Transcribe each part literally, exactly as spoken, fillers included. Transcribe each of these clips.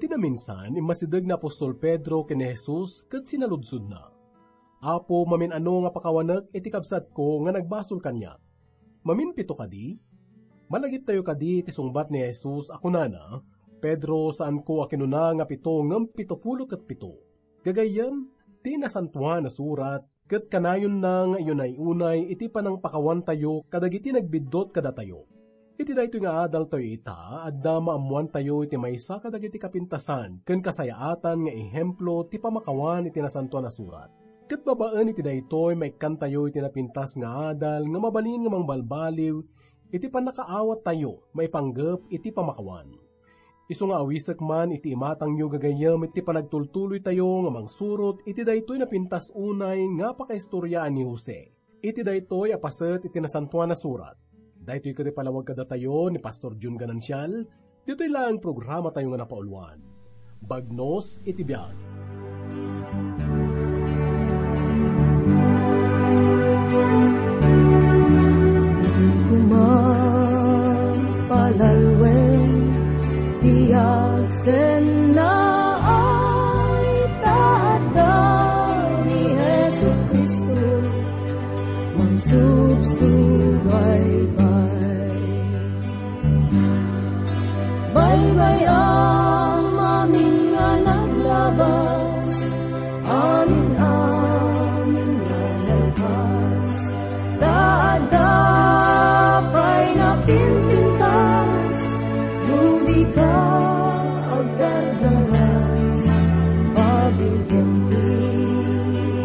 Ti naminsan, immasideg ni apostol Pedro ken ni Jesus ket sinaludsodna, "Apo, mamin-ano nga pakawanek iti kabsatko nga nagbasol kaniak? Maminpito kadi?" Malagiptayo kadi ti sungbat ni Jesus a kunana, "Pedro, saanko a kinuna nga pito ngem pitopulo ket pito." Gagayyem, ti Nasantoan a Surat ket kanayonna nga iyunay-unay iti panangpakawantayo kadagiti nagbiddut kadatayo. Iti daytoy nga adaltayo ita, adda maammoantayo iti maysa kadagiti kapintasan ken kasayaatan nga ehemplo ti pamakawan iti Nasantoan a Surat. Ket babaen iti daytoy, maikkantayo iti napintas nga adal nga mabalin nga mangbalbaliw iti pannakaawattayo maipanggep iti pamakawan. Isu nga awisek man iti imatangyo gagayyem iti panagtultuloytayo nga mangsurot iti daytoy napintas unay nga pakaistoriaan ni Jose. Iti daytoy a paset iti Nasantoan a Surat. Daytoy ket ipalawag kadatayo ni Pastor Jun Ganancial, ditoy laeng programatayo nga napauluan. Bagnos iti biag. Di kuman palalwen ti agsennaay, ta adda ni Jesu-Cristo mangsubsubaybay. Baybay-am amin nga naglabas, amin-amin nga nalpas, ta adda pay napimpintas, no di ka agdardaras, pabilken ti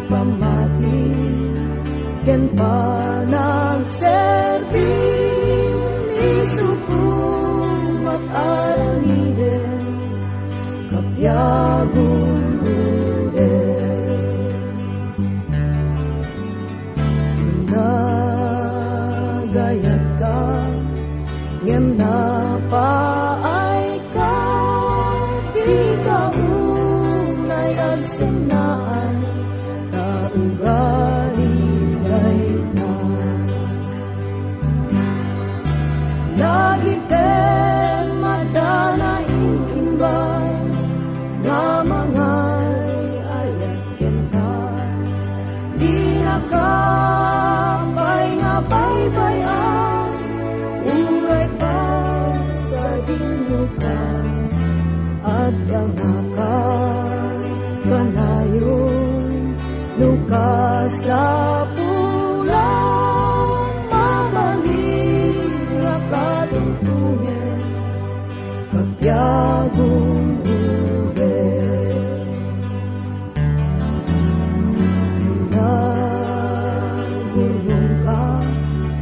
pammati ken panagserbi, isuko met aramiden, kapiagum ruden. Nagayatka, ngem napaayka, dika unay agsennaan, ta ugali dayta. Lagipem adda naimbag nga mangay-ayat kenka. Dinaka pay nga baybay-an, uray pagsadinoka. Adda nga kakanayon no kasapulan, mabalin nga katungtongen, kapiagum ruden. Nagurnongka,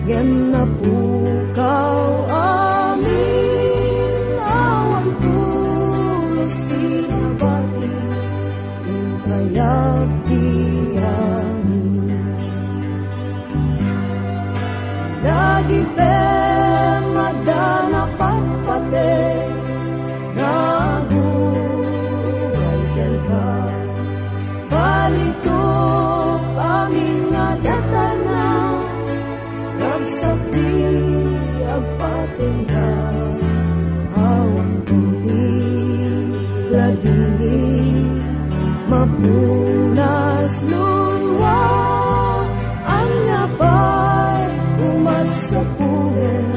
ngem napukaw amin, awan pulos ti nabati, inkayat ti amin. Lagipem adda napatpateg, naguray kenka. Balitok amin nga datarna, ragsak ti agpatengda. Awan ti ladingit, mapunas lunwa, ania pay umat sa pumen,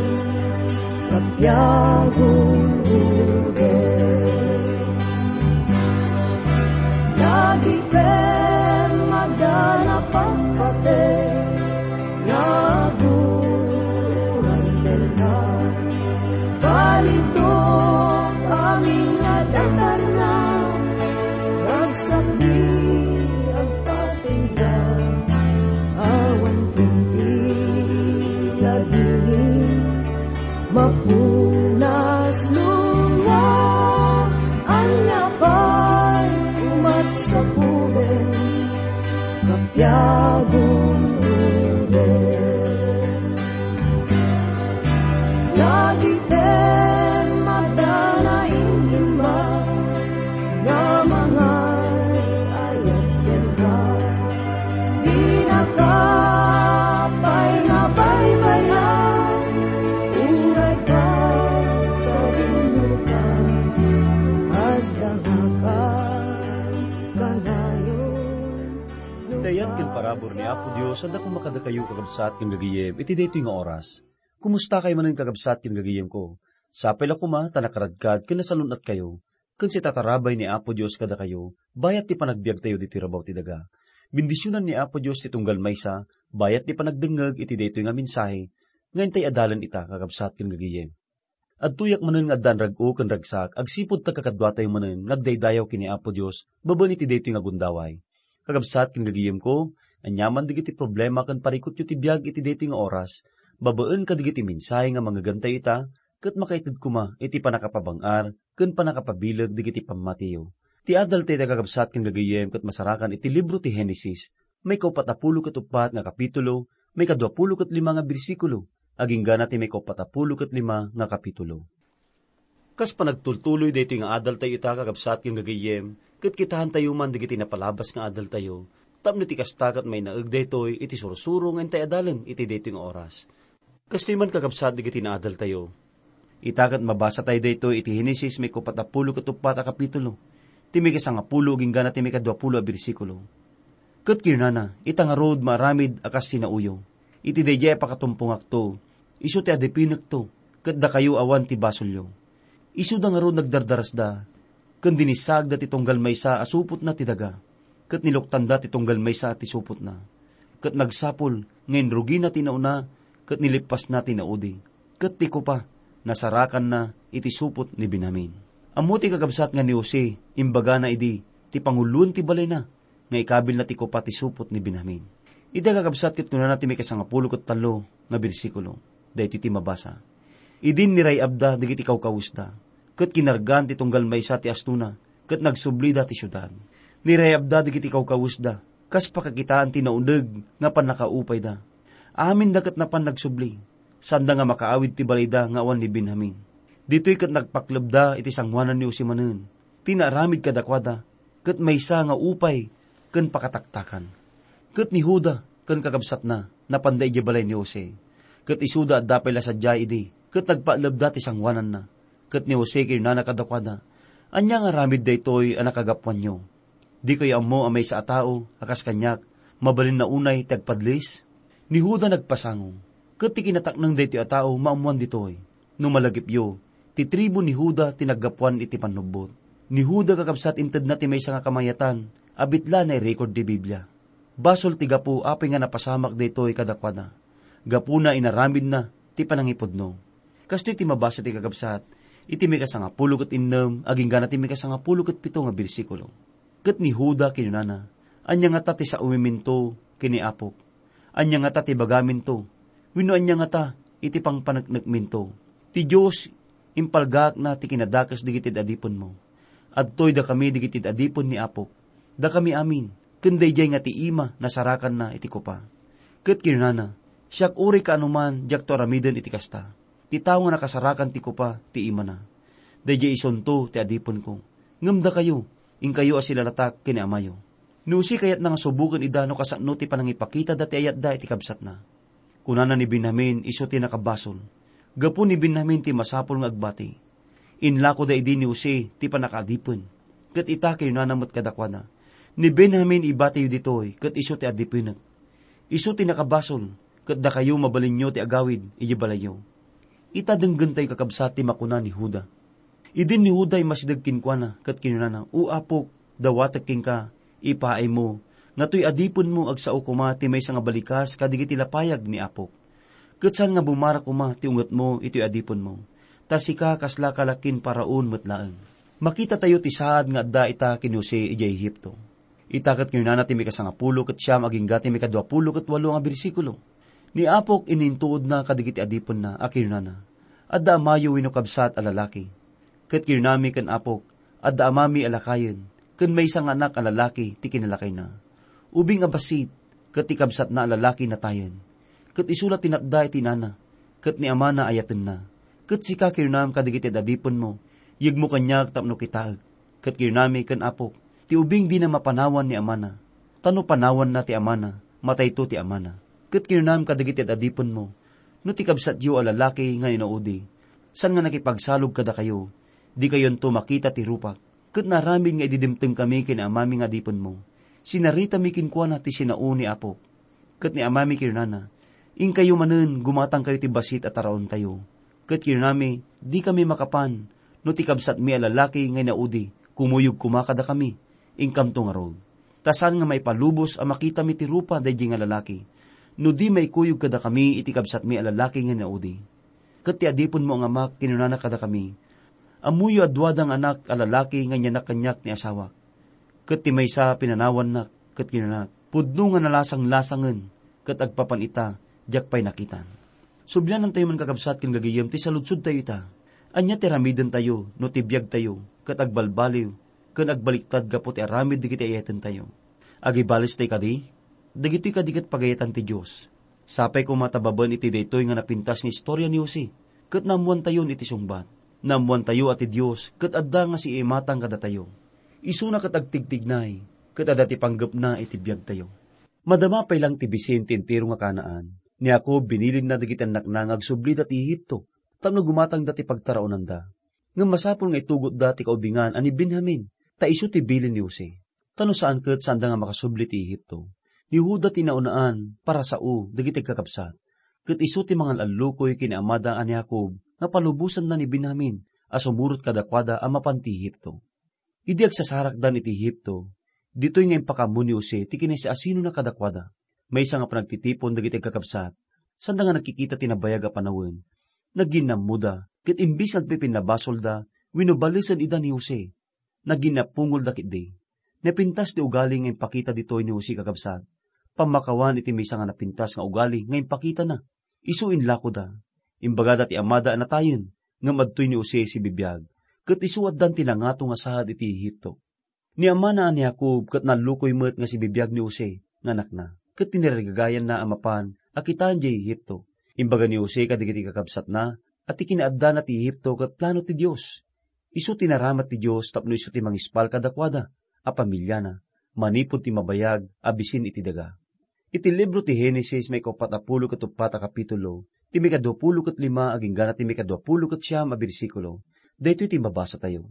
kapiagum ruden. Lagipem adda napatpateg, naguray kenka. Balitok amin nga datarna, ragsak ti agpatengda. Awan ti ladingit, mapunas lunwa, ania pay umat sa pumen, kapiagum ruden. Lagipem adda naimbag nga mangay-ayat kenka. Dinaka pay nga baybay-an, uray pagsadinoka. Adda Ken parabur ni Apo Dios, adda koma kadakayo, kakabsat ken gagayem, iti daytoy nga oras. Kumusta kayo manen, kakabsat ken gagayemko? Sapay la koma ta nakaradkad ken nasalun-atkayo, ken sitatarabay ni Apo Dios kadakayo, bayat ti panagbiagtayo ditoy rabaw ti daga. Bendisionan ni Apo Dios ti tunggal maysa, bayat ti panagdengngeg iti daytoy nga mensahe, nga intay adalen ita, kakabsat ken gagayem. Adtoyak manen nga addan rag-o ken ragsak agsipud ta kakaduatayo manen nga agdaydayaw ken ni Apo Dios babaen iti daytoy nga gundaway. Kakabsat ken gagayemko, aniaman dagiti problema ken parikutyo ti biag iti daytoy nga oras, babaen kadagiti mensahe nga mangngegantayo ita, ket makaited koma iti pannakapabang-ar ken pannakapabileg dagiti pammatiyo. Ti adal tayo, kakabsat ken gagayem, ket masarakan iti libro ti Genesis, maikaupat a pulo ket uppat nga kapitulo, maikadua pulo ket lima nga bersikulo, aginggana ti maikaupat a pulo ket lima nga kapitulo. Kas panagtultuloy daytoy nga adaltayo ita, kakabsat ken gagayem, ket kitaentayo man dagiti napalabas nga adaltayo, tapno ti kasta ket mainaeg daytoy iti sursuro nga intay adalen iti daytoy nga oras. Kastoy man, kakabsat, dagiti naadaltayo. Ita ket mabasatayo daytoy iti Genesis, maikaupat a pulo ket uppat a kapitulo, ti maikasangapulo aginggana ti maikadua pulo a bersikulo. Ket kinunana, ita ngarud maaramid a kas sinaoyo. Iti daydiay a pakatumpongakto, isu ti adipinekto, ket dakayo awan ti basolyo. Isuda ngarud nagdardarasda, ken dinissaagda ti tunggal maysa a supotna ti daga, ket niluktanda ti tunggal maysa ti supotna. Ket nagsapul nga inrugina ti nauna, ket nilippasna ti naudi, ket ti kopa, nasarakanna iti supot ni Benjamin. Ammo ti kakabsat nga ni Jose, imbagana idi ti panguloen ti balayna, nga ikabilna ti kopa ti supot ni Benjamin. Ita, kakabsat, ket kunana ti maikasangapulo ket tallo nga bersikulo, daytoy ti mabasa. Idin niray-abda dagiti kawkawesda, ket kinargaan ti tunggal maysa ti astona, ket nagsublida ti siudad. Niray-abda dagiti kawkawesda, kas pakakitaan ti nauneg nga pannakaupayda. Aminda ket napan nagsubli, sanda nga makaawid ti balayda nga awan ni Benjamin. Ditoy ket nagpaklebda iti sangoanan ni Jose manen ti naaramid kadakuada, ket maysa nga upay ken pakataktakan. Ket ni Juda ken kakabsatna napanda idiay balay ni Jose, ket isuda adda pay la sadiay idi, ket nagpaklebda ti sangoananna. Ket ni Jose kinunana kadakuada, "Ania nga aramid daytoy a nakagapuanyo? Dikayo ammo a maysa a tao a kas kaniak, mabalinna unay ti agpadlis?" Ni Juda nagpasango, ket ti kinatakneng daytoy a tao maammoan ditoy. No malagipyo, ti tribu ni Juda ti naggapuan iti pannubbot. Ni Juda, kakabsat, intedna ti maysa nga kamayatan a bitla a nairecord ti Biblia. Basol ti gapu apay nga napasamak daytoy kadakuada. Gapuna, inaramidna ti panangipudno. Kastoy ti mabasa ti kakabsat iti maikasangapulo ket innem aginggana ti maikasangapulo ket pito nga bersikulo. Ket ni Juda kinunana, "Ania ngata ti saomiminto ken ni Apok? Ania ngata ti bagaminto? Wenno ania ngata iti pangpaneknekminto? Ti Dios impalgaakna ti kinadakes dagiti adipenmo. Adtoy dakami dagiti adipen ni Apok, dakami amin, ken daydiay nga ti ima nasarakanna iti kopa." Ket kinunana, "Siak uray kaanoman diakto aramiden iti kasta. Ti tao nga nakasarakan ti kopa ti imana. Daydiay isunto ti adipenko. Ngem dakayo, inkayo a silalatak ken ni amayo." Ni Jose kayatna nga suboken ida no kasano ti panangipakitada ti ayatda iti kabsatna. Kunana ni Benjamin, isu ti nakabasol. Gapu ni Benjamin ti masapul nga agbati. Inlakoda idi ni Jose ti pannakaadipen. Ket ita, kinunana met kadakuada, "Ni Benjamin ibatiyo ditoy, ket isu ti adipenek. Isu ti nakabasol, ket dakayo mabalinyo ti agawid idiay balayyo." Ita, denggentayo, kakabsat, ti makuna ni Juda. Idin ni Juda immasideg kenkuana ket kinunana, "O Apok, dawatek kenka, ipaaymo, nga toy adipenmo agsao koma ti maysa nga balikas kadagiti lapayag ni Apok. Ket saan nga bumara koma ti ungetmo itoy adipenmo, ta sika kasla kalakin Faraon met laeng." Makitatayo ti saad nga adda ita ken Jose idiay Egipto. Ita ket kinunana ti maikasangapulo ket siam agingga ti maikaduapulo ket walo nga bersikulo, "Ni Apok inintuodna kadagiti adipenna a kinunana, 'Adda amayo wenno kabsat a lalaki.' Ket kinunami ken Apok, 'Adda amami a lakayen, ken maysa nga anak a lalaki ti kinalakayna. Ubing a bassit, ket ti kabsatna a lalaki natayen. Ket isu la ti natda iti inana, ket ni amana ayatenna. Ket sika kinunam kadagiti adipenmo, 'Yegmo kaniak tapno kitaek.' Ket kinunami ken Apok, 'Ti ubing dina mapanawan ni amana. Ta no panawanna ti amana, matayto ti amana.' Ket kinunam kadagiti adipenmo, 'No ti kabsatyo a lalaki nga inaudi, saan nga nakipagsalog kadakayo, dikayonto makita ti rupak. Ket naaramid nga idi dimtengkami ken ni amami nga adipenmo, Sinaritami kenkuana ti sinao ni Apok. Ket ni amami kinunana, "Inkayo manen, gumatangkayo ti bassit a taraontayo." Ket kinunami, "Dikami makapan no ti kabsatmi a lalaki nga inaudi kumuyog koma kadakami. Inkamto ngarud. Ta saan nga maipalubos a makitami ti rupa daydi nga lalaki, no di maikuyog kadakami iti kabsatmi a lalaki nga inaudi." Ket ti adipenmo nga amak kinunana kadakami, "Ammoyo a duada nga anak a lalaki nga inyanak kaniak ni asawak. Ket ti maysa, pinanawannak ket kinanak. Pudno nga nalasang-lasangen, ket agpapan ita, diak pay nakitan." Sublianantayo man, kakabsat ken gagayem, ti saludsodtayo ita. Ania ti aramidentayo no ti biagtayo ket agbalbaliw ken agbaliktad gapu ti aramid dagiti ay-ayatentayo? Agibalista kadi? Dagitoy kadi ket pagayatan ti Dios. Sapay koma ta babaen iti daytoy nga napintas nga istoria ni Jose, ket naammoantayon iti sungbat. Naammoantayo a ti Dios ket adda nga siimatang kadatayo. Isuna ket agtigtignay, ket adda ti panggepna iti biagtayo. Madama pay lang ti bisin ti entero nga Canaan, ni Jacob binilinna dagiti annakna nga agsublida ti Egipto tapno gumatangda ti pagtaraonanda. Ngem masapul nga itugotda ti kaubingan a ni Benjamin, ta isu ti bilin ni Jose. Ta no saan ket, saanda nga makasubli ti Egipto. Ni Juda ti naunaan, parasao dagiti agkakabsat. Ket isu ti mangal-allukoy ken ni amada a ni Jacob nga palubosanna ni Benjamin a sumurot kadakuada a mapan ti Egipto. Idi agsasarakdan iti Egipto, ditoy nga impakaammo ni Jose ti kinasiasinona kadakuada. Maysa nga panagtitipon dagiti agkakabsat, sanda nga nagkikita ti nabayag a panawen, naginnammoda, ket imbes nga agpipinnabasolda wenno balesen ida ni Jose, naginnapungolda ketdi. Napintas ti ugali nga impakita ditoy ni Jose, kakabsat. Pammakawan iti maysa nga napintas nga ugali nga impakitana. Isu inlakoda. Imbagada ti amada a natayen, ngem adtoy ni Jose sibibiag, ket isu addan ti nangato nga saad iti Egipto. Ni amana a ni Jacob ket nallukoy met nga sibibiag ni Jose nga anakna, ket tinarigagayanna a mapan a kitaen idiay Egipto. Imbaga ni Jose kadagiti kakabsatna a ti kinaaddana ti Egipto ket plano ti Dios. Isu ti naramat ti Dios tapno isu ti mangispal kadakuada a pamiliana manipud ti mabayag a bisin iti daga. Iti libro ti Genesis, maikauppat a pulo ket uppat a kapitulo, ti maikadua pulo ket lima agingga ti maikadua pulo ket siam a bersikulo, daytoy ti mabasatayo.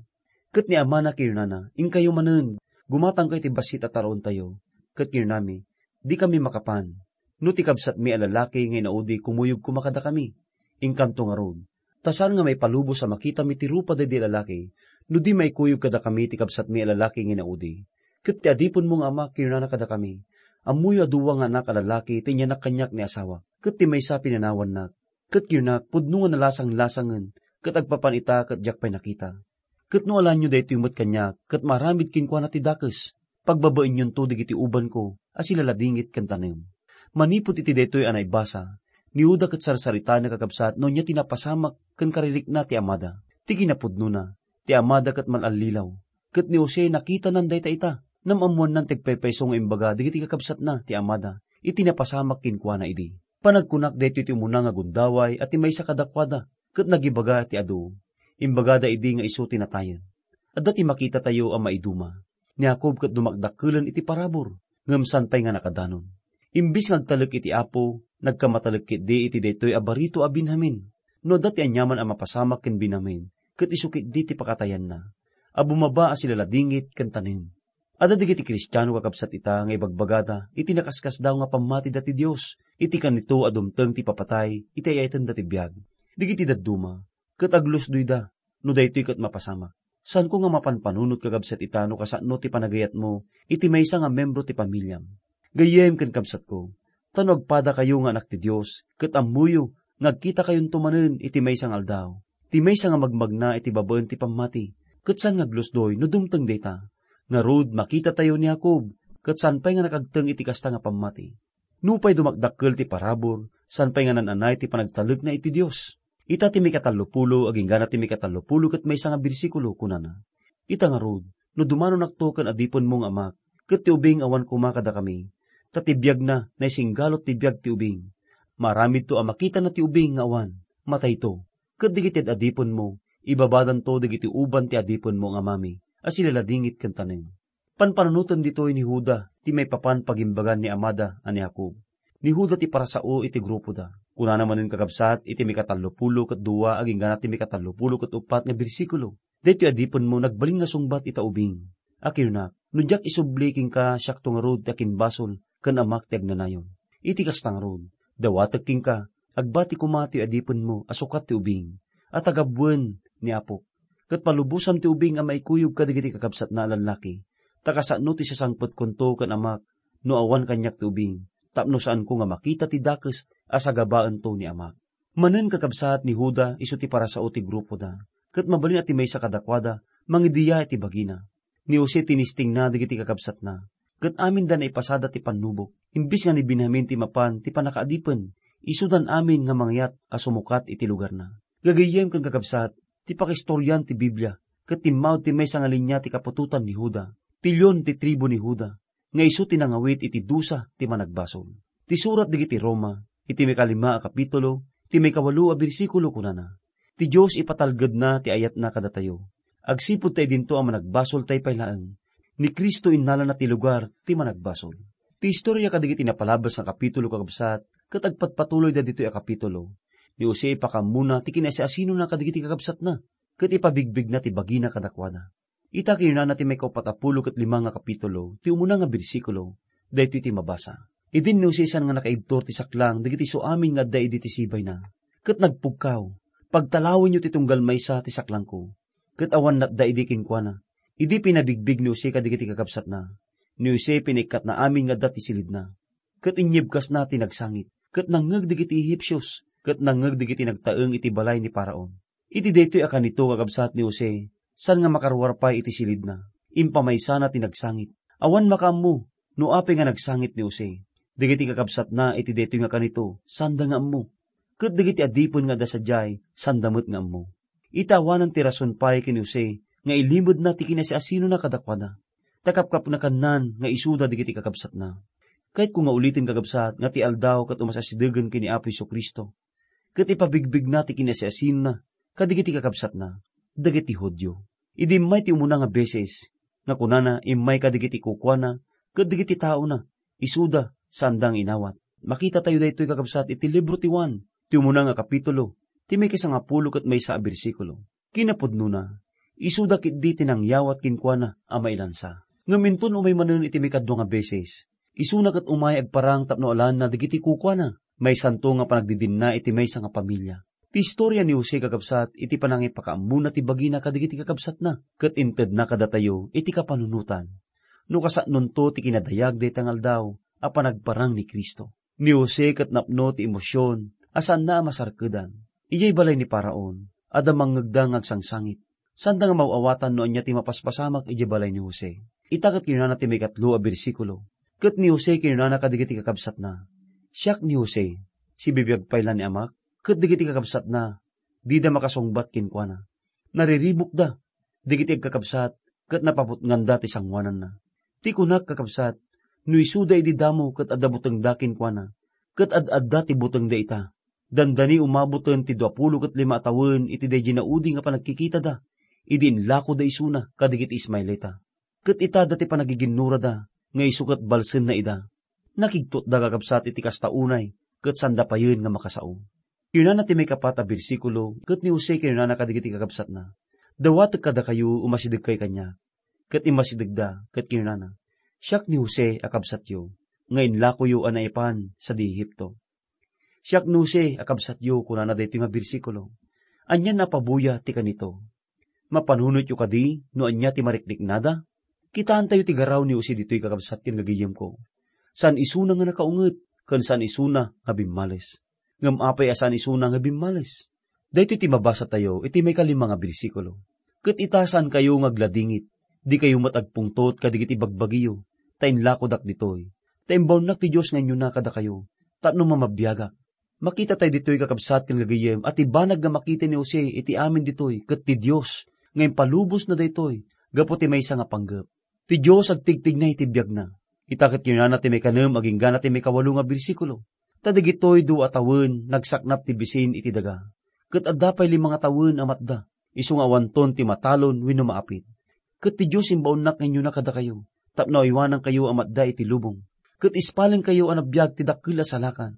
Ket ni amana kinunana, "Inkayo manen, gumatangkayo ti bassit a taraontayo." Ket kinunami, "Dikami makapan. No ti kabsatmi a lalaki nga inaudi kumuyog koma kadakami, inkanto ngarud. Ta saan nga maipalubos a makitami ti rupa daydi a lalaki, no di maikuyog kadakami ti kabsatmi a lalaki nga inaudi. Ket ti adipenmo nga ama kinunana kadakami, 'Ammoyo a dua nga anak a lalaki ti inyanak kaniak ni asawak, ket ti maysa pinanawannak.' Ket kinak, 'Pudno nga nalasang-lasangen, ket agpapan ita ket diak pay nakita.' Ket no alaenyo daytoy met kaniak, ket maaramid kenkuana ti dakes, pagbabaenyonto dagiti ubanko a silaladingit ken tanem." Manipud iti daytoy a naibasa, ni Juda ket sarsaritana, kakabsat, no ania ti napasamak ken karirikna ti amada. Ti kinapudnona, ti amada ket mal-allilaw. Ket ni Jose, nakitanan dayta ita, ngem ammoannan ti agpaypayso nga imbaga dagiti kakabsatna ti amada iti napasamak kenkuana idi. Panagkunak, daytoy ti umuna nga gundaway a ti maysa kadakuada, ket nagibaga ti adu. Imbagada idi nga isu ti natayen. Adda ti makitatayo a maiduma. Ni Jacob ket dumakdakkelen iti parabur, ngem saan pay nga nakadanon. Imbes nga agtalek iti Apo, nagkamatalek ketdi iti daytoy a barito a Benjamin. No adda ti aniaman a mapasamak ken Benjamin, ket isu ketdi ti pakatayanna, a bumaba a silaladingit ken tanem. Adda dagiti Kristiano, kakabsat, ita nga ibagbagada iti nakaskasdaaw nga pammatida ti Dios, iti kanito a dumteng ti papatay iti ay-ayatenda ti biag. Dagiti dadduma, ket aglusdoyda no daytoy ket mapasamak. Saanko nga mapanpanunot, kakabsat, ita no kasano ti panagayatmo iti maysa nga membro ti pamiliam. Gayyem ken kabsatko, ta no agpadakayo nga anak ti Dios, ket ammoyo nga agkitakayonto manen iti maysa nga aldaw, ti maysa nga magmagna iti babaen ti pammati, ket saan nga aglusdoy no dumteng dayta. Ngarud, makitatayo ni Jacob, ket saan pay nga nakagteng iti kasta nga pammati. Nupay dumakdakkel ti parabur, saan pay nga naan-anay ti panagtalekna iti Dios. Ita ti maikatallopulo, agingga ti maikatallopulo ket maysa nga bersikulo, kunana, "Ita ngarud, no dumanonakto ken adipenmo nga amak, ket ti ubing awan koma kadakami, ta ti biagna naisinggalot ti biag ti ubing. Maaramidto a makitana ti ubing nga awan, matayto. Ket dagiti ad-adipenmo, ibabadanto dagiti uban ti adipenmo nga amami a silaladingit ken tanem." Panpanunoten ditoy ni Juda ti maipapan pagimbagan ni amada a ni Jacob. Ni Juda ti parasao iti grupoda. Kunana manen, kakabsat, iti maikatallopulo ket dua agingga ti maikatallopulo ket uppat nga bersikulo, "Daytoy adipenmo nagbalin nga sungbat ita ubing. a kinunak, no diak isubli kenka, siakto ngarud ti akinbasol ken amak ti agnanayon. Iti kasta ngarud, dawatek kenka, agbati koma ti adipenmo a sukat ti ubing, a tagabuen ni Apok. Ket palubosam ti ubing a maikuyog kadagiti kakabsatna a lallaki, ta kasano ti sasangpetkonto ken amak no awan kaniak ti ubing, tapno saanko nga makita ti dakes a sagabaento ni amak. Manen kakabsat, ni Juda isu ti parasao ti grupoda, ket mabalin a ti maysa kadakuada mangidiya iti bagina. Ni Jose tinistingna dagiti kakabsatna, ket aminda naipasada ti pannubok. Imbes nga ni Benjamin ti mapan ti pannakaadipen, isudan amin nga mangyat a sumukat iti lugarna. Gagayyem ken kakabsat, ti pakistorian ti Biblia ket timmaud ti maysa nga linia ti kaputotan ni Juda, ti leon ti tribu ni Juda, nga isu ti nangawit iti dusa ti managbasol. Ti surat dagiti Roma, iti maikalima a kapitulo, iti maikawalo a bersikulo, kunana, "Ti Dios ipatalgedna ti ayatna kadatayo. Agsipud ta idinto a managbasol tay pay laeng, ni Cristo innalana ti lugar ti managbasol." Ti istoria kadagiti napalabas nga kapitulo, kakabsat, ket agpatpatuloyda ditoy a kapitulo. Ni Jose ipakaammona ti kinasiasinona kadagiti kakabsatna, ket ipabigbigna ti bagina kadakuada. Ita kinunana ti maikaupat a pulo ket lima nga kapitulo, ti umuna nga bersikulo, daytoy ti mabasa. Idin ni Jose saan nga nakaibtur ti saklang dagiti isu amin nga adda idi ti sibayna, ket nagpugkaw, "Pagtalawenyo ti tunggal maysa ti saklangko." Ket awan natda idi kenkuana. Idi pinabigbig ni Jose kadagiti kakabsatna, ni Jose pinaikkatna amin nga adda ti silidna, ket inyebkasna ti nagsangit, ket nangngeg dagiti Ehipsios, ket nangngeg dagiti nagtaeng iti balay ni Faraon. Iti daytoy a kanito, kakabsat, ni Jose, saan nga makaruar pay iti silidna, impamaysana ti nagsangit. Awan makaammo no apay nga nagsangit ni Jose. Dagiti kakabsatna iti daytoy nga kanito, saanda nga ammo. Ket dagiti adipen nga adda sadiay, saanda met nga ammo. Ita awanan ti rason pay ken ni Jose nga ilimedna ti kinasiasinona kadakuada. Ta kapkapnekannan nga isuda dagiti kakabsatna. Kayatko nga uliten, kakabsat, nga ti aldaw ket umasidegen ken ni Apo Jesu-Cristo, ket ipabigbigna ti kinasiasinona kadagiti kakabsatna, dagiti Judio. Idi immay ti umuna nga beses, nga kunana immay kadagiti kukuana ket dagiti taona, isuda, saanda nga inawat. Makitatayo daytoy, kakabsat, iti libro ti Juan, ti umuna nga kapitulo, ti maikasangapulo ket maysa a bersikulo. Kinapudnona, isuda ketdi ti nangyawat kenkuana a mailansa. Ngem inton umay manen iti maikadua nga beses, isuna ket umay agparang tapno alaenna dagiti kukuana. Maysanto nga panagdidinna iti maysa nga pamilia. Ti istoria ni Jose, kakabsat, iti panangipakaammona ti bagina kadagiti kakabsatna, ket intedna kadatayo iti kapanunotan. No kasannonto ti kinadayag dayta nga aldaw a panagparang ni Cristo. Ni Jose ket napno ti emosion a saanna a masarkedan. Idiay balay ni Faraon, adda mangngegda nga agsangsangit. Saanda nga maaw-awatan no ania ti mapaspasamak idiay balay ni Jose. Ita ket kinunana ti maikatlo a bersikulo, "Ket ni Jose kinunana kadagiti kakabsatna, 'Siak ni Jose, sibibiag pay la ni amak.' Ket dagiti kakabsatna, dida makasungbat kenkuana. Nariribukda dagiti agkakabsat ket napaputnganda ti sangoananna. Ti kunak, kakabsat, no isuda idi damo ket adda butengda kenkuana, ket ad-adda ti butengda ita. Dandani umaboten ti duapulo ket lima a tawen iti daydi naudi nga panagkikitada, idi inlakoda isuna kadagiti Ismaelita. Ket ita adda ti panagiginnurada nga isu ket balsenna ida. Nakigtotda, kakabsat, iti kasta unay, ket saanda payen nga makasao." Kinunana ti maikapat a bersikulo, ket ni Jose kinunana kadagiti kakabsatna, "Dawatek kadakayo, umasidegkayo kaniak." Ket immasidegda, ket kinunana, "Siak ni Jose a kabsatyo, nga inlakoyo a naipan sadi Egipto." "Siak ni Jose a kabsatyo," kunana daytoy nga bersikulo. "Ania a pabuya ti kanito? Mapanunotyo kadi no ania ti mariknada? Kitaentayo ti garaw ni Jose ditoy, kakabsat ken gagayemko. Saan isuna nga nakaunget, ken saan isuna nga bimmales. Ngem apay a saan isuna nga bimmales?" Daytoy ti mabasatayo iti maikalima nga bersikulo. "Ket ita, saankayo nga agladingit, dikayo met agpungtot kadagiti bagbagiyo, ta inlakodak ditoy. Ta imbaonnak ti Dios nga inyuna kadakayo, tapno mamabiagak." Makitatayo ditoy, kakabsat ken gagayem, a ti banag nga makita ni Jose iti amin ditoy ket ti Dios nga impalubosna daytoy gapu ti maysa nga panggep. Ti Dios agtigtigna iti biagna. Ita ket kinunana ti maikanem agingga ti maikawalo nga bersikulo, "Ta dagitoy dua a tawen nagsaknap ti bisin iti daga, ket adda pay lima nga tawen a matda, isu nga awanton ti matalon wenno maapit. Ket ti Dios imbaonnak nga inyuna kadakayo, tapno aywanankayo a matda iti lubong, ket ispalengkayo a nabiag ti dakkel a salakan.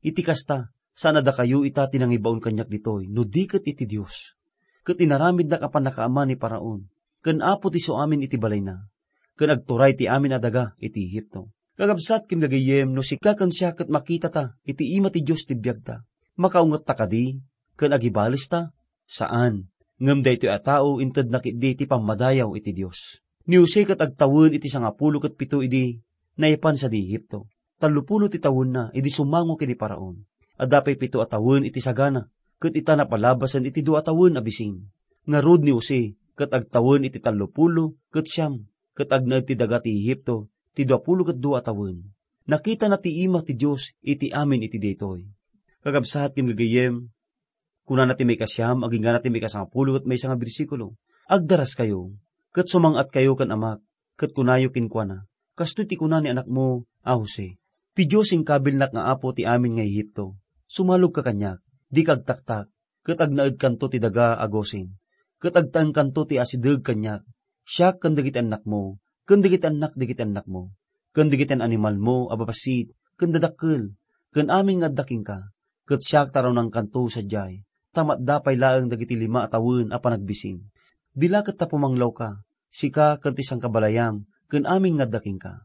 Iti kasta, saan a dakayo ita ti nangibaon kaniak ditoy, no di ket iti Dios. Ket inaramidnak a pannakaama ni Faraon, ken apo ti isu amin iti balayna. ken agturay ti amin a daga iti Egipto. Kakabsat ken gagayyem, no sika ken siak ket makitata iti ima ti Dios ti biagta, makaungetta kadi ken agibalesta? Saan. Ngem daytoy a tao intedna ketdi ti pammadayaw iti Dios. Ni Jose ket agtawen iti sangapulo ket pito idi naipan sadi Egipto. Tallopulo ti tawenna idi sumango ken ni Faraon. Adda pay pito a tawen iti sagana, ket ita napalabasen iti dua a tawen a bisin. Ngarud ni Jose ket agtawen iti tallopulo ket siam, ket agnaed ti daga ti Egipto ti duapulo ket dua a tawen. Nakitana ti ima ti Dios iti amin iti daytoy. Kakabsat ken gagayyem, kunana ti maikasiam agingga na ti maikasangapulo ket maysa nga bersikulo, "Agdaraskayo, ket sumang-atkayo ken amak, ket kunayo kenkuana, 'Kastoy ti kuna ni anakmo a Jose: Ti Dios inkabilnak nga apo ti amin nga Egipto. Sumalogka kaniak, dika agtaktak, ket agnaedkanto ti daga a Gosen, ket agtaengkanto ti asideg kaniak, siak ken dagiti annakmo, ken dagiti annak dagiti annakmo, ken dagiti animalmo a babassit ken dadakkel, ken amin nga adda kenka, ket siak ti arunaenkanto sadiay, ta matda pay laeng dagiti lima a tawen a panagbisin. Dilaket ta pumanglawka, sika ken ti sangkabalayam, ken amin nga adda kenka.'"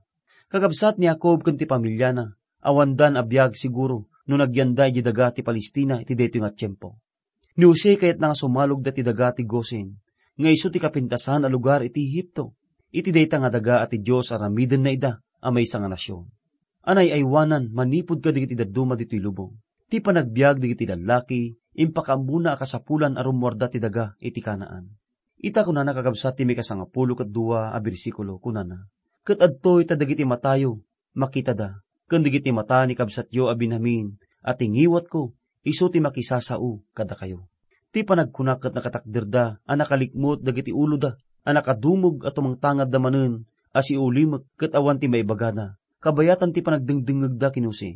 Kakabsat, ni Jacob ken ti familiana, awandan a biag siguro no nagyanda idiay daga ti Palestina iti daytoy nga tiempo. Ni Jose kayatna nga sumalogda iti daga ti Gosen, nga isu ti kapintasan a lugar iti Egipto. Iti dayta nga daga a ti Dios aramidenna ida a maysa nga nasion. Anay-aywanan manipud kadagiti dadduma ditoy lubong. Ti panagbiag dagiti lallaki, impakaammona a kasapulan a rummuarda ti daga iti Canaan. Ita kunana, kakabsat, ti maikasangapulo ket dua a bersikulo, kunana, "Ket adtoy ta dagiti matayo makitada, ken dagiti mata ni kabsatyo a Benjamin a ti ngiwatko, isu ti makisasao kadakayo." Ti panagkuna ket nakatakderda a nakalikmut dagiti uloda, a nakadumog a tumangtangadda manen a siulimek ket awan ti maibagada, kabayatan ti panagdengdengngegda ken ni Jose.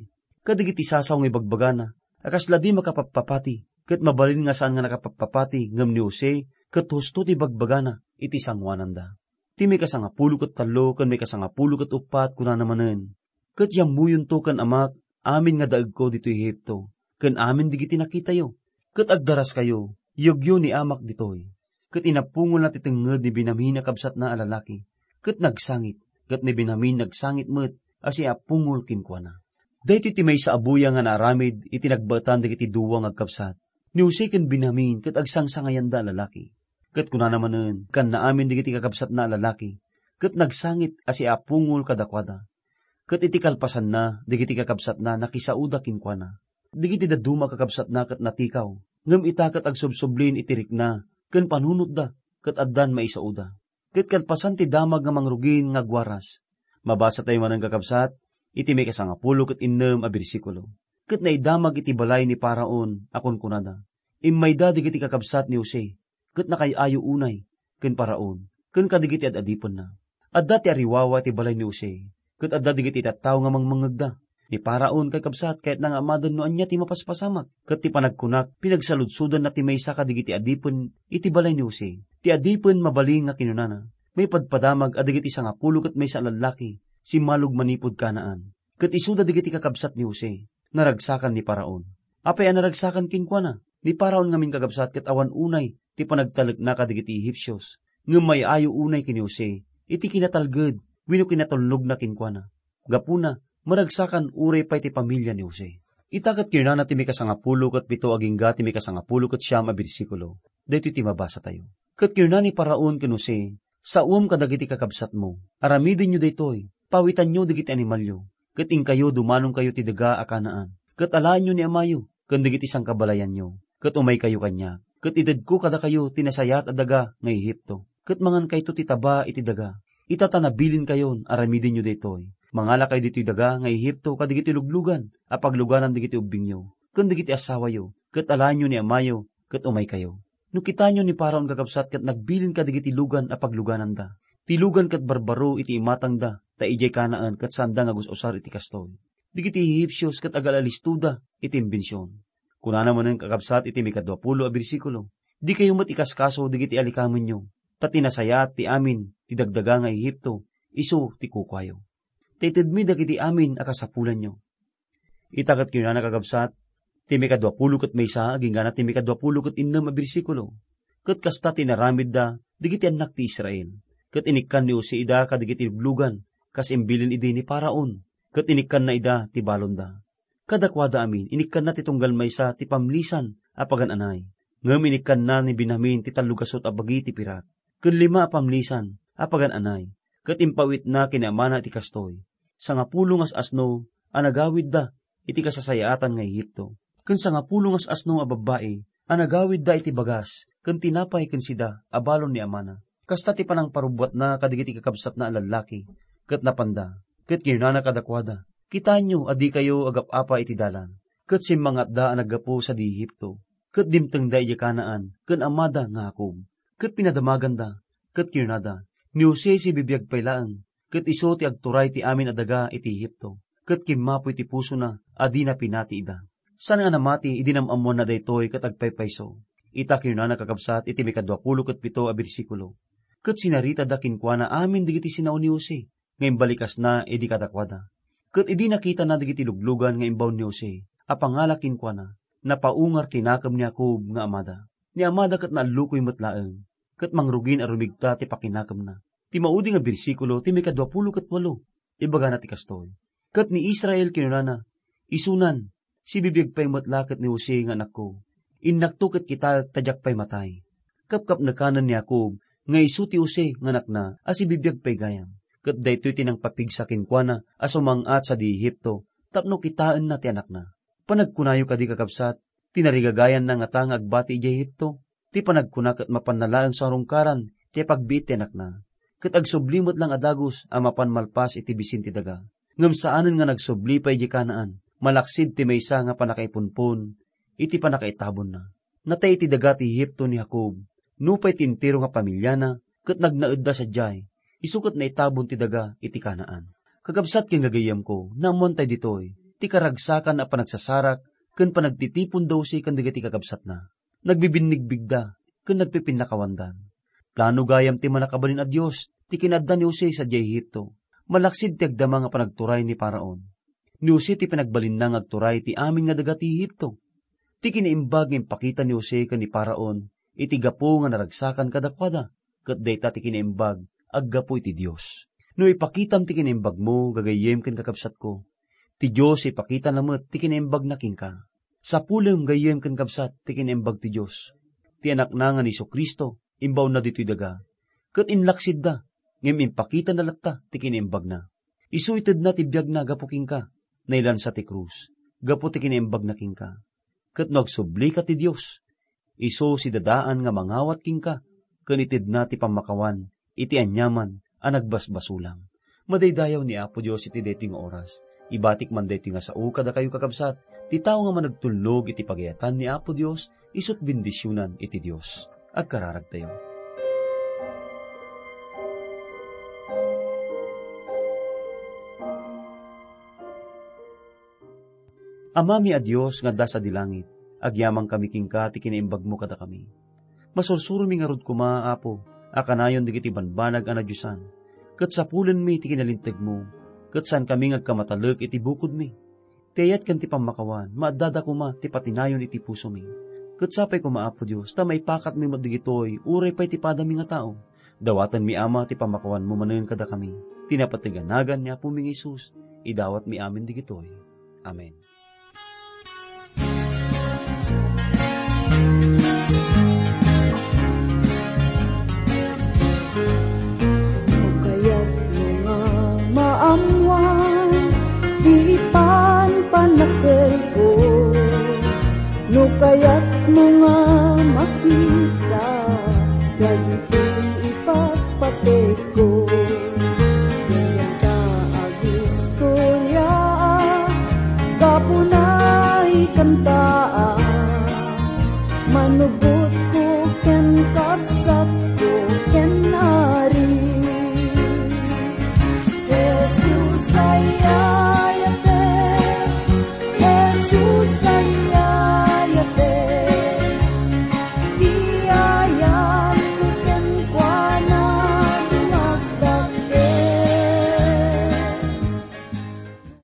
Kadagiti sasaw nga ibagbagana a kasla di makapappapati, ket mabalin nga saan nga nakapappapati ngem ni Jose ket husto ti bagbagana iti sangoananda. Ti maikasangapulo ket tallo ken maikasangapulo ket uppat kunana manen, "Ket yammuyonto ken amak amin nga daegko ditoy Egipto, ken amin dagiti nakitayo. Ket agdaraskayo, iyegyo ni amak ditoy." Ket inapungolna ti tengnged ni Benjamin a kabsatna a lalaki, ket nagsangit, ket ni Benjamin nagsangit met a siapungol kenkuana. Daytoy ti maysa a buyang nga naaramid iti nagbaetan dagiti dua nga agkabsat, ni Jose ken Benjamin, ket agsangsangayanda a lalaki. Ket kunana manen, kanna amin dagiti kakabsatna a lalaki, ket nagsangit a siapungol kadakuada. Ket iti kalpasanna, dagiti kakabsatna nakisaoda kenkuana. Dagiti dadduma a kakabsatna ket natikaw, ngem ita ket agsubsublin iti rikna ken panunotda, ket addan maisaoda. Ket kalpasan ti damag nga mangrugin nga agwaras, mabasatayo manen, kakabsat, iti maikasangapulo ket innem a bersikulo. Ket naidamag iti balay ni Faraon a kunkunada, "Immayda dagiti kakabsat ni Jose, ket nakaay-ayo unay ken Faraon ken kadagiti ad-adipenna." Adda ti ariwawa iti balay ni Jose, ket adda dagiti tattao nga mangmangngegda. Ni Faraon, kakabsat, kayatna nga amaden no ania ti mapaspasamak, ket ti panagkunak, pinagsaludsodanna ti maysa kadagiti adipen iti balay ni Jose. Ti adipen mabalin nga kinunana, "Maipadpadamag a dagiti sangapulo ket maysa a lallaki simmalog manipud Canaan, ket isuda dagiti kakabsat ni Jose." Naragsakan ni Faraon. Apay a naragsakan kenkuana? Ni Faraon ngamin, kakabsat, ket awan unay ti panagtalekna kadagiti Egipsios, ngem maay-ayo unay ken ni Jose iti kinatalged wenno kinatulnogna kenkuana. Gapuna, maragsakan uray pay ti pamilia ni Jose. Ita ket kinunana ti mikasangapulo ket pito agingga ti mikasangapulo ket siam a bersikulo. Daytoy ti mabasatayo. Ket kinuna ni Faraon ken Jose, "Saom kadagiti kakabsatmo. Aramidenyo daytoy, pawitanyo dagiti animalyo, ket inkayo dumanonkayo ti daga a Canaan, ket alaenyo ni amayo ken dagiti sangkabalayanyo, ket umaykayo kaniak. Ket itedko kadakayo ti nasayaat a daga nga Egipto, ket mangankayto ti taba iti daga. Ita ta nabilinkayon, aramidenyo daytoy. Mangalakayo ditoy daga nga Egipto kadagiti luglugan a pagluganan dagiti ubbingyo ken dagiti asawayo, ket alaenyo ni amayo, ket umaykayo." No kitaenyo ni Faraon, kakabsat, ket nagbilin kadagiti lugan a paglugananda. Ti lugan ket barbaro iti imatangda, ta idiay Canaan ket saanda nga gus-usar iti kastoy. Dagiti Egipsios ket agalalistoda iti imbension. Kunana manen, kakabsat, iti mikaduapulo a bersikulo, "Dikayo met ikaskaso dagiti alikamenyo, ta ti nasayaat ti amin ti dagdaga nga Egipto, isu ti kukuayo. Ta itedmi dagiti amin a kasapulanyo." Ita ket kinunana, kakabsat, ti mikaduapulo ket maysa agingga ti mikaduapulo ket innem a bersikulo, "Ket kasta ti inaramidda dagiti annak ti Israel. Ket inikkan ni Jose ida kadagiti luglugan, kas imbilin idi ni Faraon, ket inikkanna ida ti balonda. Kadakuada amin, inikkanna ti tunggal maysa ti pamlisan a pagan-anay. Ngem inikkanna ni Benjamin ti tallogasut a bagi ti pirak, ken lima a pamlisan a pagan-anay, ket impawitna ken ni amana iti kastoy: Sangapulo nga as-asno a nagawidda iti kasasayaatan nga Egipto, ken sangapulo nga as-asno a babbai a nagawidda iti bagas ken tinapay ken sida a balon ni amana. Kasta ti panangparubbuatna kadagiti kakabsatna a lallaki, ket napanda, ket kinunana kadakuada: Kitaenyo a dikayo agap-apa iti dalan, ket simmangatda a naggapu sadi Egipto, ket dimtengda idiay Canaan ken amada nga Jacob, ket pinadamaganda, ket kinunada: Ni Jose sibibiag pay laeng, ket isu ti agturay ti amin a daga iti Egipto, ket kimmapoy ti pusona a dina pinati ida. Saan nga namati idi nam-ammoanna daytoy ket agpaypayso. Ita kinunana, kakabsat, iti maikadua pulo ket pito a bersikulo: Ket sinaritada kenkuana amin dagiti sinao ni Jose nga imbalikasna idi kadakuada. Ket idi nakitana dagiti luglugan nga imbaon ni Jose a pangala kenkuana, napaungar ti nakem ni Jacob nga amada. Ni amada ket naallukoy met laeng, ket mangrugin a rumigta ti pakinakemna. Ti maudi nga bersikulo ti maikadua pulo ket walo, ibagana ti kastoy: Ket ni Israel kinunana: Isunan, sibibiag pay met la ket ni Jose nga anakko. Innakto ket kitaek ta diak pay matay. Kapkapnekanen ni Jacob nga isu ti Jose nga anakna a sibibiag pay gayam, ket daytoy ti nangpapigsa kenkuana a sumang-at sadi Egipto tapno kitaenna ti anakna. Panagkunayo kadi, kakabsat, ti narigagayanna ngata nga agbati idiay Egipto? Ti panagkuna ket mapanna laeng sarungkaran ti apagbiit ti anakna, ket agsubli met lang a dagus a mapan malpas iti bisin ti daga. Ngem saanen nga nagsubli pay idiay Canaan, malaksid ti maysa nga pannakaipunpon iti pannakaitabonna. Natay iti daga ti Egipto ni Jacob, nupay ti entero nga pamiliana, ket nagnaedda sadiay, isu ket naitabon ti daga iti Canaan. Kakabsat ken gagayyemko, naammoantay ditoy ti karagsakan a panagsasarak ken panagtitipon da Jose ken dagiti kakabsatna. Nagbibinnigbigda ken nagpipinnakawandan. Plano gayam ti Mannakabalin a Dios ti kinaadda ni Jose sadiay Egipto. Malaksid ti agdama nga panagturay ni Faraon. Ni Jose ti pinagbalinna nga agturay ti amin nga daga ti Egipto. Ti kinaimbag nga impakita ni Jose ken ni Faraon iti gapu nga naragsakan kadakuada, ket dayta ti kinaimbag aggapu iti Dios. No ipakitam ti kinaimbagmo, gagayyem ken kakabsatko, ti Dios ipakitana met ti kinaimbagna kenka. Sapulem, gayyem ken kabsat, ti kinaimbag ti Dios. Ti Anakna nga ni Jesu-Cristo, imbaonna ditoy daga, ket inlaksidda, ngem impakitana latta ti kinaimbagna. Isu itedna ti biagna gapu kenka, nailansa ti krus, gapu ti kinaimbagna kenka. Ket no agsublika ti Dios, isu sidadaan nga mangawat kenka, ken itedna ti pammakawan iti aniaman a nagbasbasolam. Madaydayaw ni Apo Dios iti daytoy nga oras. Ibatik man daytoy nga sao kadakayo, kakabsat, ti tao nga managtulnog iti pagayatan ni Apo Dios, isut' bendisionan iti Dios. Agkararagtayo. Amami a Dios nga adda sadi langit, agyamankami kenka ti kinaimbagmo kadakami. Masursuromi ngarud koma, Apo, a kanayon dagiti banbanag a nadiosan, ket sapulenmi ti kinalintegmo, ket saankami nga agkamatalek iti bukodmi. Ti ayat ken ti pammakawan, maaddada koma ti patinayon iti pusomi. Ket sapay koma, Apo Dios, ta maipakatmi met dagitoy, uray pay ti padami nga tao. Dawatenmi, Ama, ti pammakawanmo manen kadakami. Ti napateg a nagan ni Apomi nga Jesus, idawatmi amin dagitoy. Amen. No kayatmo nga maammuan ti ipanpanakelko, no kayatmo nga maki-